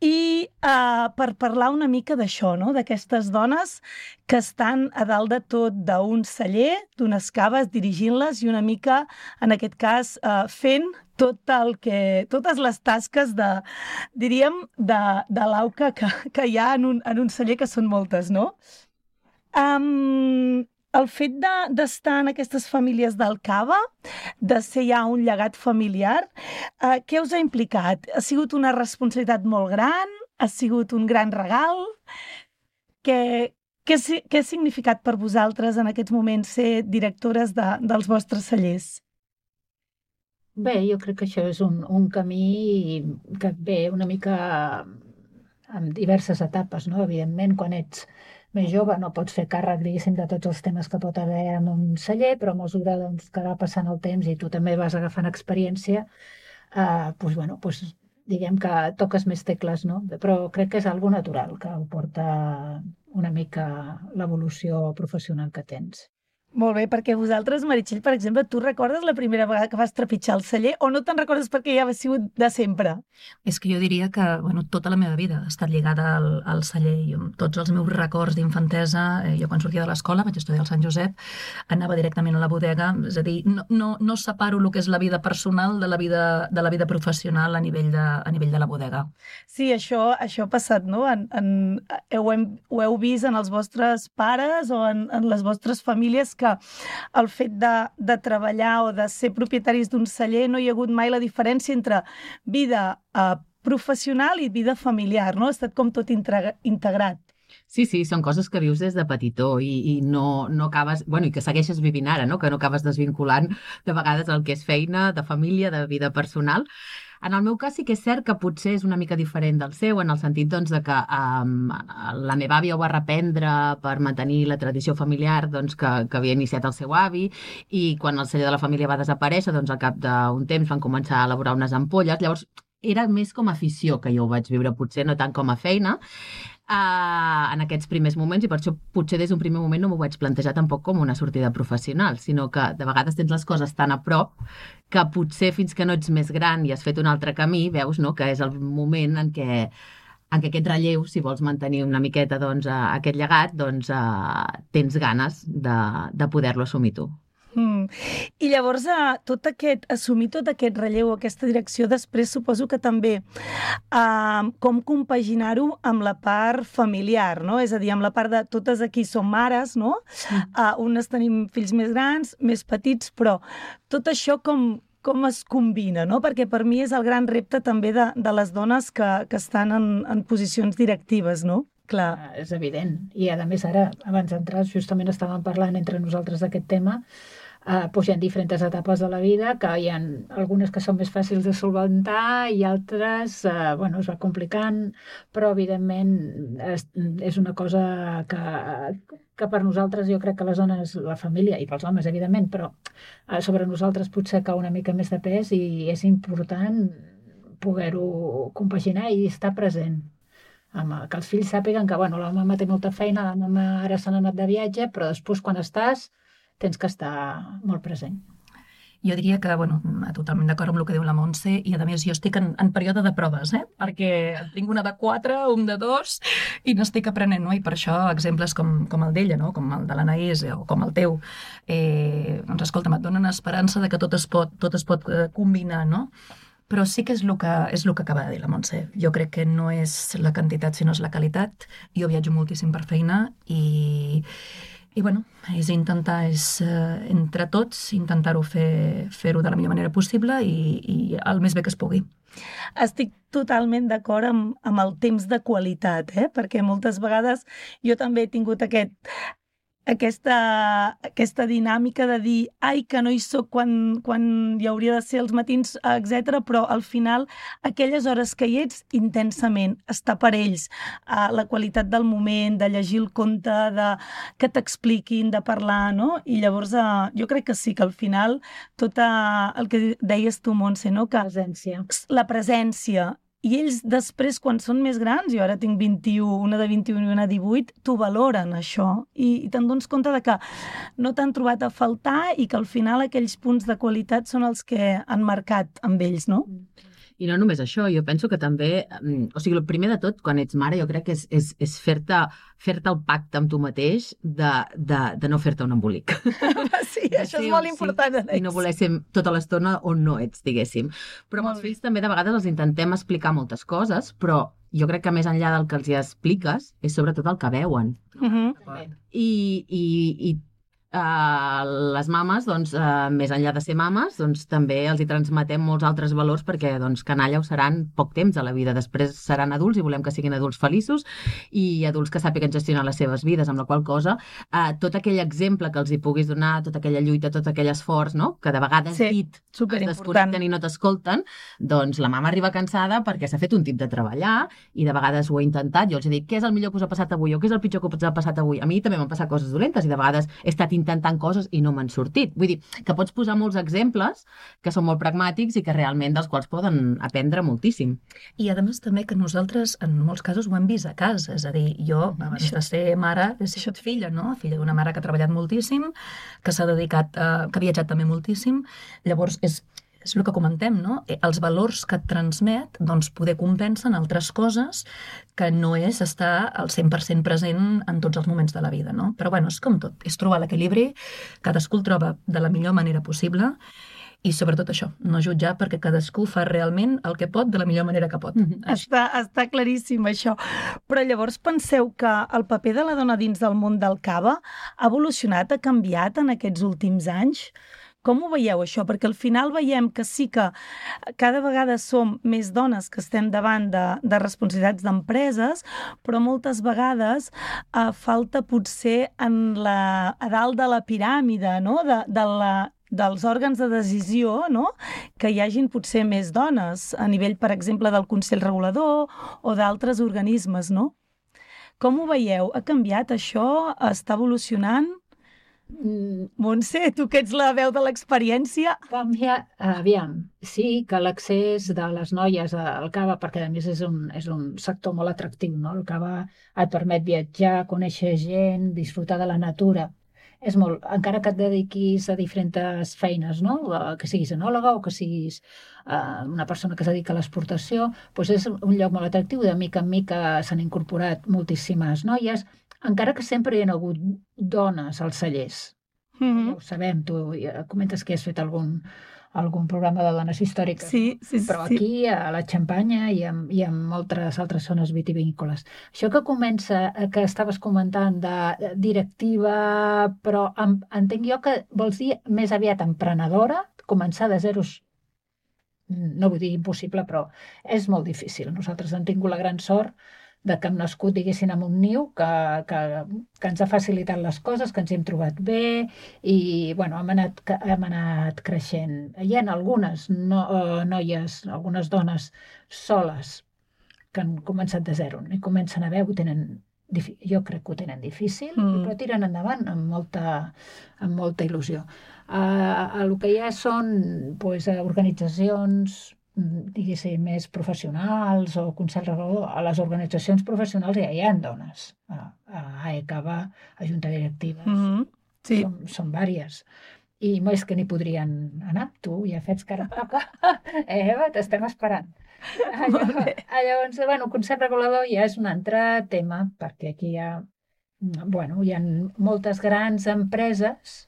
i uh, per parlar una mica d'això, no? D'aquestes dones que estan a dalt de tot d'un celler, d'unes caves, dirigint-les i una mica, en aquest cas, uh, fent tot el que, totes les tasques de, diríem, de, de l'auca que, que hi ha en un, en un celler, que són moltes, no? Um, el fet de, d'estar en aquestes famílies del cava, de ser ja un llegat familiar, uh, què us ha implicat? Ha sigut una responsabilitat molt gran? Ha sigut un gran regal? Què, què, què ha significat per vosaltres en aquests moments ser directores de, dels vostres cellers? Bé, jo crec que això és un, un camí que ve una mica amb diverses etapes, no? Evidentment, quan ets més jove no pots fer càrrec, diguéssim, de tots els temes que pot haver en un celler, però a mesura doncs, que va passant el temps i tu també vas agafant experiència, eh, doncs, bueno, doncs, diguem que toques més tecles, no? Però crec que és algo natural, que ho porta una mica l'evolució professional que tens. Molt bé, perquè vosaltres, Meritxell, per exemple, tu recordes la primera vegada que vas trepitjar el celler o no te'n recordes perquè ja ha sigut de sempre? És que jo diria que bueno, tota la meva vida ha estat lligada al, al celler. Jo, tots els meus records d'infantesa, eh, jo quan sortia de l'escola, vaig estudiar al Sant Josep, anava directament a la bodega, és a dir, no, no, no separo el que és la vida personal de la vida, de la vida professional a nivell de, a nivell de la bodega. Sí, això, això ha passat, no? En, en, ho, hem, ho heu vist en els vostres pares o en, en les vostres famílies que que el fet de, de treballar o de ser propietaris d'un celler no hi ha hagut mai la diferència entre vida eh, professional i vida familiar, no? Ha estat com tot integrat. Sí, sí, són coses que vius des de petitó i, i no, no acabes... Bueno, i que segueixes vivint ara, no? Que no acabes desvinculant de vegades el que és feina, de família, de vida personal. En el meu cas sí que és cert que potser és una mica diferent del seu, en el sentit doncs, de que um, la meva àvia ho va reprendre per mantenir la tradició familiar doncs, que, que havia iniciat el seu avi, i quan el celler de la família va desaparèixer, doncs al cap d'un temps van començar a elaborar unes ampolles. Llavors era més com a afició que jo ho vaig viure, potser no tant com a feina, Uh, en aquests primers moments, i per això potser des d'un primer moment no m'ho vaig plantejar tampoc com una sortida professional, sinó que de vegades tens les coses tan a prop que potser fins que no ets més gran i has fet un altre camí, veus, no?, que és el moment en què, en què aquest relleu, si vols mantenir una miqueta doncs, uh, aquest llegat, doncs uh, tens ganes de, de poder-lo assumir tu. Mm. I llavors, eh, tot aquest, assumir tot aquest relleu, aquesta direcció, després suposo que també eh, com compaginar-ho amb la part familiar, no? És a dir, amb la part de totes aquí som mares, no? Mm. Uh, unes tenim fills més grans, més petits, però tot això com, com es combina, no? Perquè per mi és el gran repte també de, de les dones que, que estan en, en posicions directives, no? Clar. Uh, és evident. I a més ara, abans d'entrar, justament estàvem parlant entre nosaltres d'aquest tema. Uh, doncs hi ha diferents etapes de la vida, que hi ha algunes que són més fàcils de solventar i altres, uh, bueno, es va complicant, però evidentment és, és una cosa que, que per nosaltres, jo crec que les dones, la família, i pels homes, evidentment, però uh, sobre nosaltres potser cau una mica més de pes i és important poder-ho compaginar i estar present. Amb, que els fills sàpiguen que, bueno, la mama té molta feina, la mama ara se n'ha anat de viatge, però després quan estàs tens que estar molt present. Jo diria que, bueno, totalment d'acord amb el que diu la Montse, i a més jo estic en, en període de proves, eh? Perquè tinc una de quatre, un de dos, i n'estic aprenent, no? I per això exemples com, com el d'ella, no? Com el de l'Anaïs o com el teu, eh, doncs escolta'm, et donen esperança de que tot es pot, tot es pot eh, combinar, no? Però sí que és el que, és el que acaba de dir la Montse. Jo crec que no és la quantitat, sinó és la qualitat. Jo viatjo moltíssim per feina i... I, bueno, és intentar, és, eh, entre tots, intentar-ho fer, fer-ho de la millor manera possible i, i el més bé que es pugui. Estic totalment d'acord amb, amb el temps de qualitat, eh? Perquè moltes vegades jo també he tingut aquest, aquesta, aquesta dinàmica de dir ai, que no hi soc quan, quan hi hauria de ser els matins, etcètera, però al final aquelles hores que hi ets intensament, estar per ells, uh, la qualitat del moment, de llegir el conte, de que t'expliquin, de parlar, no? I llavors uh, jo crec que sí, que al final tot uh, el que deies tu, Montse, no? Que presència. La presència. I ells després, quan són més grans, jo ara tinc vint-i-u, una de vint-i-u i una de divuit, t'ho valoren, això. I, i te'n dones compte de que no t'han trobat a faltar i que al final aquells punts de qualitat són els que han marcat amb ells, no? I no només això, jo penso que també, o sigui, el primer de tot, quan ets mare, jo crec que és, és, és fer-te fer-te el pacte amb tu mateix de, de, de no fer-te un embolic. Sí, això és molt important. Sí, i no voler ser tota l'estona on no ets, diguéssim. Però amb els fills també de vegades els intentem explicar moltes coses, però jo crec que més enllà del que els hi expliques és sobretot el que veuen. Uh-huh. I, i, i Uh, les mames, doncs, uh, més enllà de ser mames, doncs, també els hi transmetem molts altres valors perquè doncs, canalla ho seran poc temps a la vida. Després seran adults i volem que siguin adults feliços i adults que sàpiguen gestionar les seves vides, amb la qual cosa uh, tot aquell exemple que els hi puguis donar, tota aquella lluita, tot aquell esforç, no? Que de vegades sí, dit es desconnecten i no t'escolten, doncs la mama arriba cansada perquè s'ha fet un tip de treballar i de vegades ho he intentat. Jo els he dit, què és el millor que us ha passat avui o què és el pitjor que us ha passat avui? A mi també m'han passat coses dolentes i de vegades he estat intentant coses i no m'han sortit. Vull dir, que pots posar molts exemples que són molt pragmàtics i que realment dels quals poden aprendre moltíssim. I a més també que nosaltres en molts casos ho hem vist a casa, és a dir, jo abans de ser mare he sigut filla, no? Filla d'una mare que ha treballat moltíssim, que s'ha dedicat, eh, que ha viatjat també moltíssim, llavors és és el que comentem, no? Els valors que et transmet, doncs, poder compensen altres coses que no és estar al cent per cent present en tots els moments de la vida, no? Però, bueno, és com tot, és trobar l'equilibri, cadascú el troba de la millor manera possible i, sobretot, això, no jutjar perquè cadascú fa realment el que pot de la millor manera que pot. Mm-hmm. Està, està claríssim, això. Però llavors penseu que el paper de la dona dins del món del cava ha evolucionat, ha canviat en aquests últims anys? Com ho veieu, això? Perquè al final veiem que sí que cada vegada som més dones que estem davant de, de responsabilitats d'empreses, però moltes vegades eh, falta potser en la, a dalt de la piràmide, no? de, de la, dels òrgans de decisió, no? Que hi hagin potser més dones a nivell, per exemple, del Consell Regulador o d'altres organismes, no? Com ho veieu? Ha canviat això? Està evolucionant? Montse, tu que ets la veu de l'experiència. Canvia, aviam, sí que l'accés de les noies al cava, perquè a més és un, és un sector molt atractiu, no? El cava et permet viatjar, conèixer gent, disfrutar de la natura. És molt, encara que et dediquis a diferents feines, no? Que siguis enòloga o que siguis uh, una persona que es dedica a l'exportació, doncs és un lloc molt atractiu. De mica en mica s'han incorporat moltíssimes noies, encara que sempre hi ha hagut dones als cellers. Mm-hmm. Ja ho sabem, tu comentes que has fet algun, algun programa de dones històriques, sí, sí, però sí. Aquí, a la Xampanya i en, i en moltes altres zones vitivinícoles. Això que comença, que estaves comentant de directiva, però en, entenc jo que vols dir més aviat emprenedora, començar de zeros, no vull dir impossible, però és molt difícil. Nosaltres hem tingut la gran sort de que hem nascut, diguéssim, en un niu que, que, que ens ha facilitat les coses, que ens hem trobat bé i, bueno, hem anat, hem anat creixent. Hi ha algunes no, uh, noies, algunes dones soles que han començat de zero i comencen a veure, ho tenen, jo crec que ho tenen difícil, mm. però tiren endavant amb molta, amb molta il·lusió. Uh, el que hi ha són pues, organitzacions diguéssim, més professionals o Consell Regulador. A les organitzacions professionals ja hi ha dones. A, a AECAVA, a Junta Directiva, mm-hmm. sí. són, són vàries. I més que n'hi podrien anar. Tu ja fets cara a poca. Eva, t'estem esperant. Llavors, llavors, bueno, Consell Regulador ja és un altre tema, perquè aquí hi ha, bueno, hi ha moltes grans empreses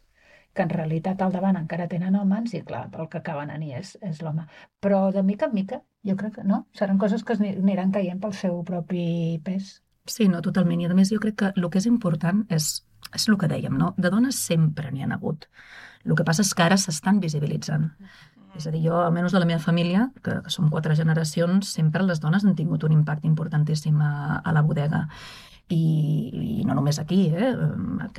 que en realitat al davant encara tenen homes i clar, el que acaben a és, és l'home. Però de mica en mica, jo crec que no, seran coses que aniran caient pel seu propi pes. Sí, no, totalment. I a més jo crec que el que és important és, és el que dèiem, no? De dones sempre n'hi ha hagut. El que passa és que ara s'estan visibilitzant. És a dir, jo, almenys de la meva família, que, que som quatre generacions, sempre les dones han tingut un impacte importantíssim a, a la bodega. I, i no només aquí, eh?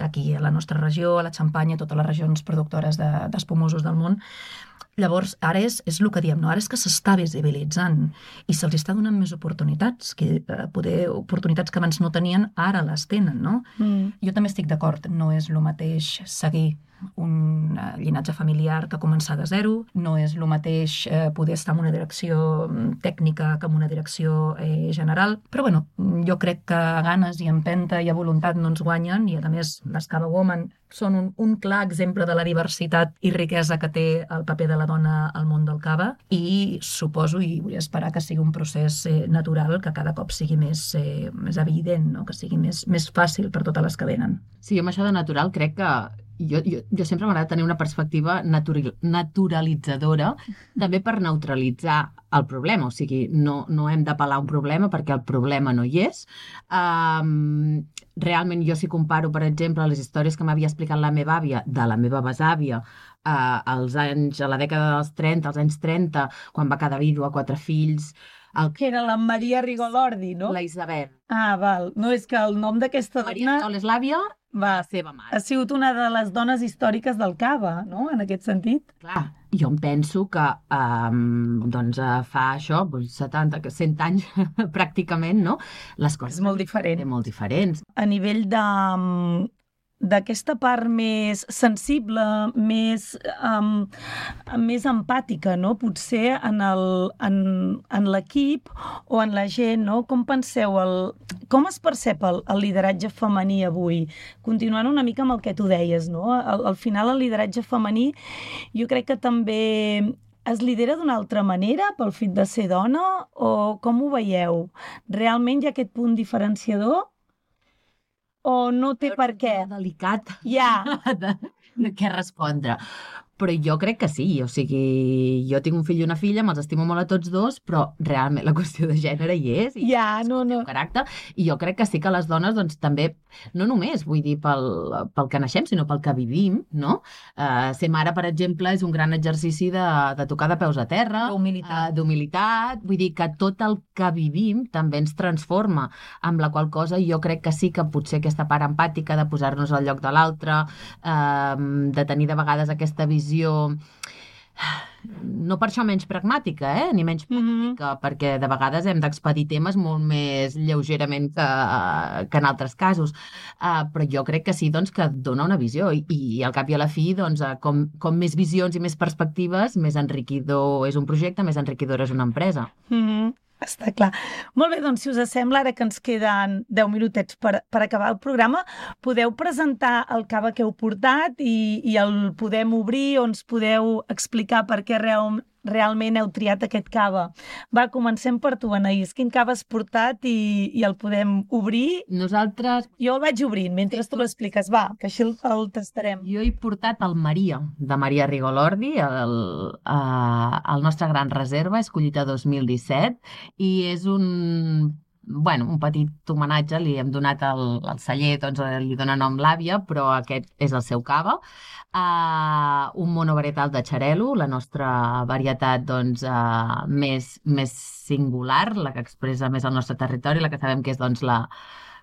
Aquí a la nostra regió, a la Xampanya, totes les regions productores d'espumosos del món. Llavors, ara és, és el que diem, no? Ara és que s'està visibilitzant i se'ls està donant més oportunitats, que eh, poder oportunitats que abans no tenien, ara les tenen, no? Mm. Jo també estic d'acord, no és el mateix seguir un llinatge familiar que començar de zero, no és el mateix eh, poder estar en una direcció tècnica que en una direcció eh, general, però bueno, jo crec que ganes i empenta i a voluntat no ens guanyen, i a més les Cava Women són un, un clar exemple de la diversitat i riquesa que té el paper de la dona al món del cava, i suposo i vull esperar que sigui un procés eh, natural, que cada cop sigui més, eh, més evident, no? Que sigui més, més fàcil per totes les que venen. Sí, amb això de natural crec que Jo, jo, jo sempre m'agrada tenir una perspectiva natural, naturalitzadora, també per neutralitzar el problema. O sigui, no, no hem d'apel·lar un problema perquè el problema no hi és. Um, realment, jo si comparo, per exemple, les històries que m'havia explicat la meva àvia, de la meva besàvia, uh, als anys, a la dècada dels trenta, als anys trenta, quan va quedar vídua, quatre fills... El... Que era la Maria Rigolordi, no? La Isabel. Ah, val. No, és que el nom d'aquesta dona... Maria Sol és l'àvia, va, la seva mare. Ha sigut una de les dones històriques del cava, no?, en aquest sentit. Clar, jo em penso que um, doncs, fa això, setanta, cent anys pràcticament, no? Les coses... És molt diferent. Molt diferents. A nivell de... d'aquesta part més sensible, més, um, més empàtica, no? Potser en el, en, en l'equip o en la gent, no? Com penseu, el, com es percep el, el lideratge femení avui? Continuant una mica amb el que tu deies, no? Al, al final el lideratge femení jo crec que també es lidera d'una altra manera pel fet de ser dona, o com ho veieu? Realment hi ha aquest punt diferenciador? O no té per què? Delicat. Ja. De, de què respondre. Però jo crec que sí, o sigui, jo tinc un fill i una filla, me'ls estimo molt a tots dos, però realment la qüestió de gènere hi és, i ja, no, no. caràcter, i jo crec que sí que les dones, doncs, també, no només, vull dir, pel, pel que naixem, sinó pel que vivim, no? Uh, ser mare, per exemple, és un gran exercici de, de tocar de peus a terra, d'humilitat. Uh, d'humilitat, vull dir que tot el que vivim també ens transforma, amb la qual cosa jo crec que sí que potser aquesta part empàtica de posar-nos al lloc de l'altre, uh, de tenir de vegades aquesta visió no per això menys pragmàtica, eh? Ni menys política, mm-hmm. perquè de vegades hem d'expedir temes molt més lleugerament que, que en altres casos. Uh, però jo crec que sí, doncs, que dona una visió, i, i al cap i a la fi, doncs, com, com més visions i més perspectives, més enriquidor és un projecte, més enriquidora és una empresa. Mm-hmm. Està clar. Molt bé, doncs, si us sembla, ara que ens queden deu minutets per, per acabar el programa, podeu presentar el cava que heu portat i, i el podem obrir, o ens podeu explicar per què real, realment heu triat aquest cava. Va, comencem per tu, Anaïs. Quin cava has portat i, i el podem obrir? Nosaltres... Jo el vaig obrint mentre tu l'expliques. Va, que així el, el tastarem. Jo he portat el Maria, de Maria Rigolordi, el, uh, el nostre gran reserva, és collita dos mil disset, i és un... bueno, un petit homenatge, li hem donat el, el celler, doncs li dona nom l'àvia, però aquest és el seu cava. Uh, un monovarietal de xarel·lo, la nostra varietat doncs, uh, més, més singular, la que expressa més el nostre territori, la que sabem que és doncs, la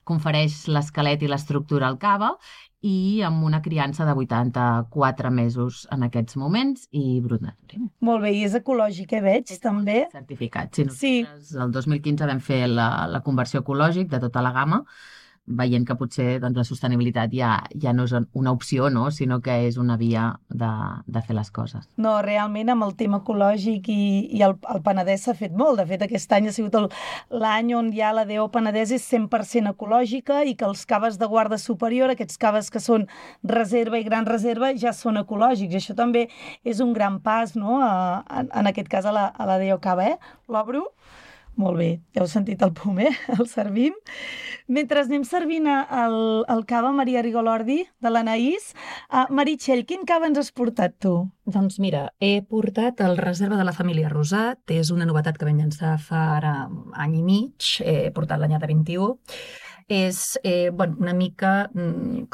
confereix l'esquelet i l'estructura al cava, i amb una criança de vuitanta-quatre mesos en aquests moments, i brut natural. Molt bé, i és ecològic, eh, veig, és també? Certificat. Sí, nosaltres, sí. El dos mil quinze vam fer la, la conversió ecològic de tota la gamma, veient que potser doncs, la sostenibilitat ja, ja no és una opció, no? Sinó que és una via de, de fer les coses. No, realment amb el tema ecològic i, i el, el Penedès s'ha fet molt. De fet, aquest any ha sigut l'any on ja la D O Penedès és cent per cent ecològica, i que els caves de guarda superior, aquests caves que són reserva i gran reserva, ja són ecològics. I això també és un gran pas, no? A, a, en aquest cas a la, a la D O Cava, eh? L'obro. Molt bé, ja heu sentit el pum, eh? El servim. Mentre anem servint el, el cava Maria Rigolordi, de l'Anaïs, uh, Meritxell, quin cava ens has portat tu? Doncs mira, he portat el Reserva de la família Rosat, és una novetat que vam llançar fa ara any i mig, he portat l'anyada vint-i-u. És eh, bueno, una mica,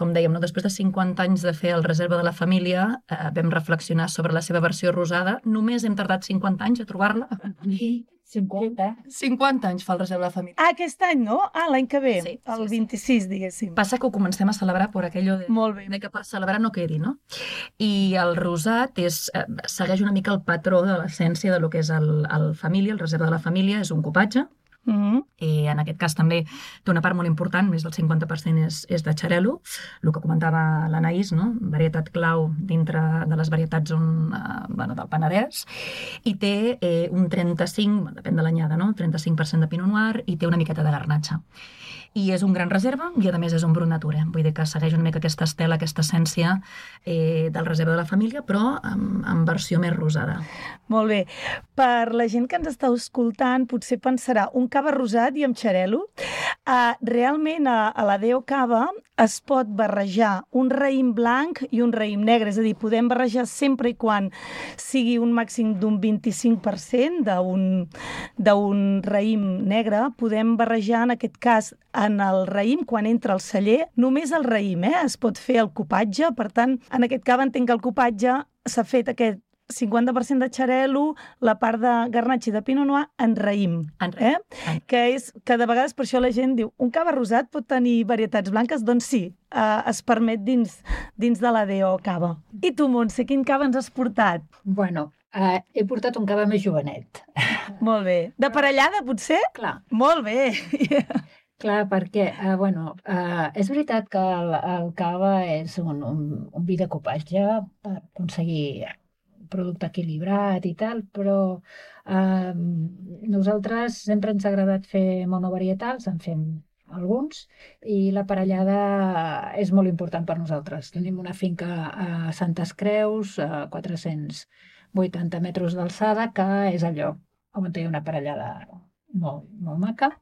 com dèiem, no? Després de cinquanta anys de fer el Reserva de la família, eh, vam reflexionar sobre la seva versió rosada. Només hem tardat cinquanta anys a trobar-la. I cinquanta. cinquanta anys fa el Reserva de la Família. Ah, aquest any, no? Ah, l'any que ve, Sí, el sí, sí. vint-i-sis, diguéssim. Passa que ho comencem a celebrar per aquello de, Molt bé. de que per celebrar no quedi, no? I el rosat és, eh, segueix una mica el patró de l'essència de lo que és el, el família, el Reserva de la Família, és un cupatge. Mm-hmm. I en aquest cas també té una part molt important, més del cinquanta per cent és, és de xarel·lo, el que comentava l'Anaïs, no? Varietat clau dintre de les varietats on, eh, bueno, del Penedès, i té eh, un trenta-cinc, depèn de l'anyada, no? trenta-cinc per cent de Pinot Noir i té una miqueta de garnatxa. I és un gran reserva i a més és un brut natura, vull dir que segueix una mica aquesta estela, aquesta essència eh, del Reserva de la Família, però en, en versió més rosada. Molt bé. Per la gent que ens està escoltant, potser pensarà un cava rosat i amb xarel·lo. Uh, realment a, a la Deo Cava es pot barrejar un raïm blanc i un raïm negre, és a dir, podem barrejar sempre i quan sigui un màxim d'un vint-i-cinc per cent d'un d'un raïm negre, podem barrejar en aquest cas en el raïm, quan entra al celler, només el raïm, eh? Es pot fer el cupatge, per tant, en aquest cava entenc que el cupatge s'ha fet aquest cinquanta per cent de xarel·lo, la part de garnatxa i de pinot noir en raïm. En raïm. Eh? Que és que de vegades per això la gent diu un cava rosat pot tenir varietats blanques? Doncs sí, eh, es permet dins, dins de la Deo Cava. I tu, Montse, quin cava ens has portat? Bueno, uh, he portat un cava més jovenet. Molt bé. De parellada, potser? Clar. Molt bé. Clar, perquè, uh, bueno, uh, és veritat que el, el cava és un, un, un vi de copatge per aconseguir producte equilibrat i tal, però eh, nosaltres sempre ens ha agradat fer monovarietals, en fem alguns, i la parellada és molt important per nosaltres. Tenim una finca a Santes Creus, a quatre-cents vuitanta metres d'alçada, que és el lloc on hi ha una parellada molt, molt maca.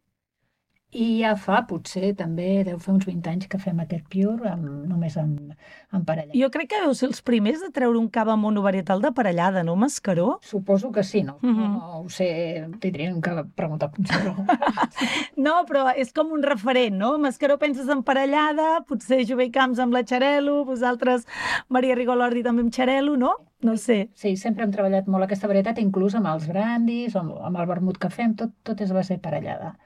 I ja fa, potser, també deu fer uns vint anys que fem aquest Pure amb, només amb, amb parellada. Jo crec que deu ser els primers de treure un cava monovarietal de parellada, no, Mascaró? Suposo que sí, no? Uh -huh. No, no ho sé, tindríem que preguntar potser. No, però és com un referent, no? Mascaró penses en parellada, potser Jové Camps amb la xarel·lo, vosaltres, Maria Rigolordi també amb xarel·lo, no? No sé. Sí, sempre hem treballat molt aquesta varietat, inclús amb els brandis, amb, amb el vermut que fem, tot, tot és base parellada.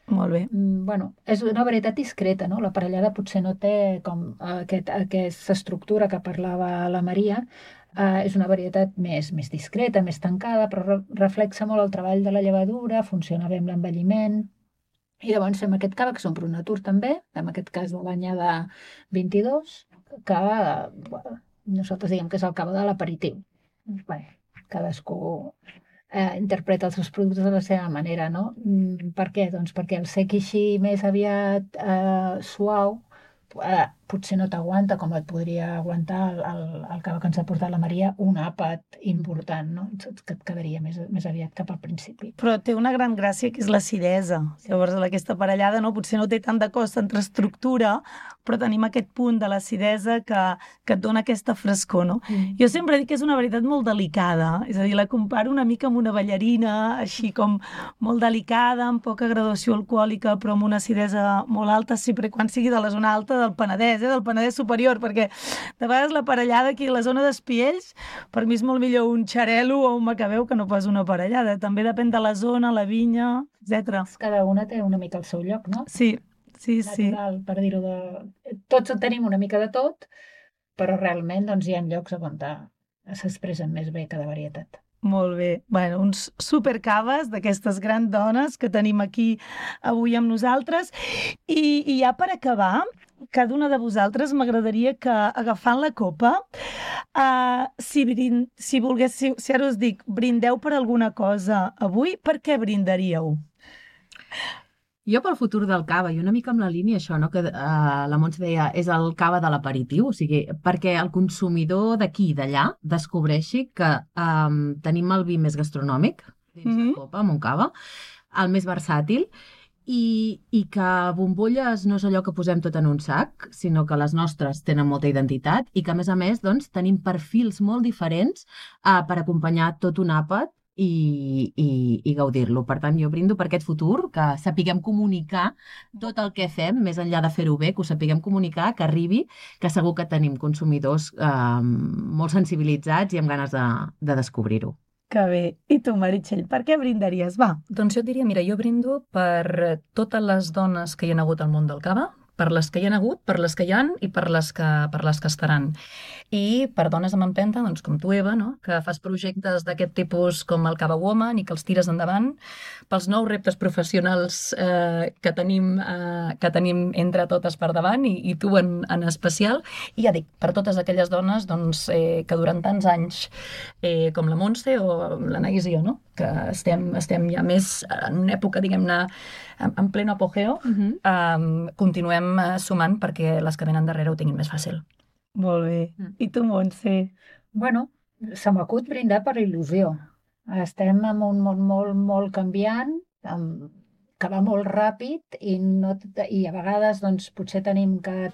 Molt bé. Mm, bueno, és una varietat discreta, no? La parellada potser no té com aquest, aquesta estructura que parlava la Maria, eh, és una varietat més, més discreta, més tancada, però re reflexa molt el treball de la llevadura, funciona bé amb l'envelliment, i llavors fem aquest cava, que és un brut natur també, en aquest cas de l'anyada vint-i-dos, que bueno, nosaltres diguem que és el cava de l'aperitiu. Bé, cadascú Eh, interpreta els seus productes de la seva manera, no? Mm, per què? Doncs perquè el sec així més aviat eh, suau eh, potser no t'aguanta com et podria aguantar el, el, el cava que ens ha portat la Maria, un àpat important, no? Que et quedaria més, més aviat cap al principi. Però té una gran gràcia que és l'acidesa. Sí. Llavors aquesta parellada no, potser no té tant de cost entre estructura, però tenim aquest punt de l'acidesa que, que et dona aquesta frescor, no? Mm. Jo sempre dic que és una varietat molt delicada, és a dir, la comparo una mica amb una ballarina, així com molt delicada, amb poca graduació alcohòlica, però amb una acidesa molt alta, sempre quan sigui de la zona alta del Penedès, eh? Del Penedès superior, perquè de vegades la parellada aquí a la zona d'Espiells, per mi és molt millor un xarel·lo o un macabeu que no pas una parellada. També depèn de la zona, la vinya, etcètera. Cada una té una mica el seu lloc, no? Sí. Sí, natural, sí. Per dir-ho de... Tots tenim una mica de tot, però realment doncs, hi ha llocs on s'expressen més bé cada varietat. Molt bé. Bueno, uns supercaves d'aquestes grans dones que tenim aquí avui amb nosaltres. I, i ja per acabar, cada una de vosaltres m'agradaria que, agafant la copa, uh, si, brind, si volgués, si, si ara us dic, brindeu per alguna cosa avui, per què brindaríeu? Jo pel futur del cava, i una mica amb la línia això, no? Que uh, la Montse deia, és el cava de l'aperitiu, o sigui, perquè el consumidor d'aquí i d'allà descobreixi que um, tenim el vi més gastronòmic dins mm-hmm. la copa, amb un cava, el més versàtil, i, i que bombolles no és allò que posem tot en un sac, sinó que les nostres tenen molta identitat i que, a més a més, doncs, tenim perfils molt diferents uh, per acompanyar tot un àpat i, i, i gaudir-lo. Per tant, jo brindo per aquest futur, que sapiguem comunicar tot el que fem, més enllà de fer-ho bé, que ho sapiguem comunicar, que arribi, que segur que tenim consumidors eh, molt sensibilitzats i amb ganes de, de descobrir-ho. Que bé. I tu, Meritxell, per què brindaries? Va. Doncs jo et diria, mira, jo brindo per totes les dones que hi ha hagut al món del cava, per les que hi ha hagut, per les que hi han i per les que, per les que estaran. I per dones amb empenta, doncs com tu, Eva, no? Que fas projectes d'aquest tipus com el Cava Woman i que els tires endavant, pels nous reptes professionals eh, que, tenim, eh, que tenim entre totes per davant i, i tu en, en especial. I ja dic, per totes aquelles dones doncs, eh, que durant tants anys, eh, com la Montse o l'Anaïs i jo, no? Que estem, estem ja més en una època, diguem-ne, en, en pleno apogeo, uh-huh. eh, continuem sumant perquè les que venen darrere ho tinguin més fàcil. Molt bé. I tu, Montse? Bueno, se m'acut brindar per il·lusió. Estem en un món molt, molt canviant, amb, que va molt ràpid i, no, i a vegades doncs, potser tenim que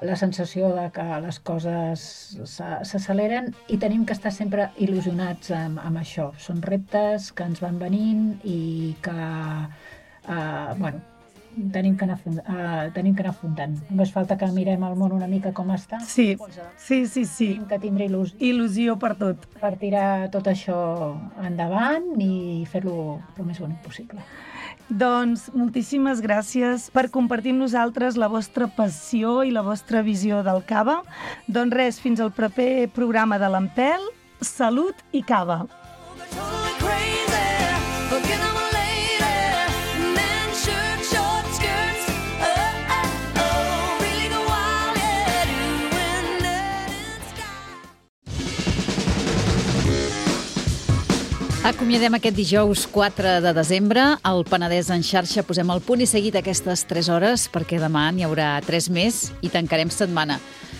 la sensació de que les coses s'acceleren i tenim que estar sempre il·lusionats amb, amb això. Són reptes que ens van venint i que, eh, bueno, tenim que anar, uh, tenim que anar afrontant. Només falta que mirem el món una mica com està. Sí, sí, sí, sí. Tenim que tindre il·lusió. Il·lusió per tot. Per tirar tot això endavant i fer-lo el més bonic possible. Doncs moltíssimes gràcies per compartir amb nosaltres la vostra passió i la vostra visió del cava. Doncs res, fins al proper programa de l'Empel. Salut i cava. Acomiadem aquest dijous quatre de desembre. Al Penedès en xarxa posem el punt i seguit aquestes tres hores perquè demà n'hi haurà tres més i tancarem setmana.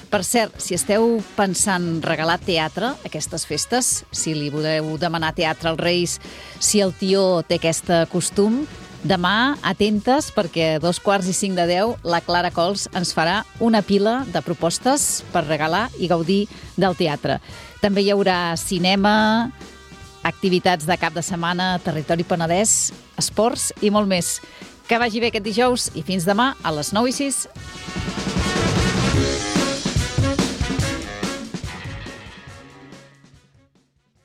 Per cert, si esteu pensant regalar teatre aquestes festes, si li voleu demanar teatre als Reis, si el tió té aquest costum, demà atentes perquè a dos quarts i cinc de deu la Clara Cols ens farà una pila de propostes per regalar i gaudir del teatre. També hi haurà cinema, activitats de cap de setmana, territori penedès, esports i molt més. Que vagi bé aquest dijous i fins demà a les nou i sis.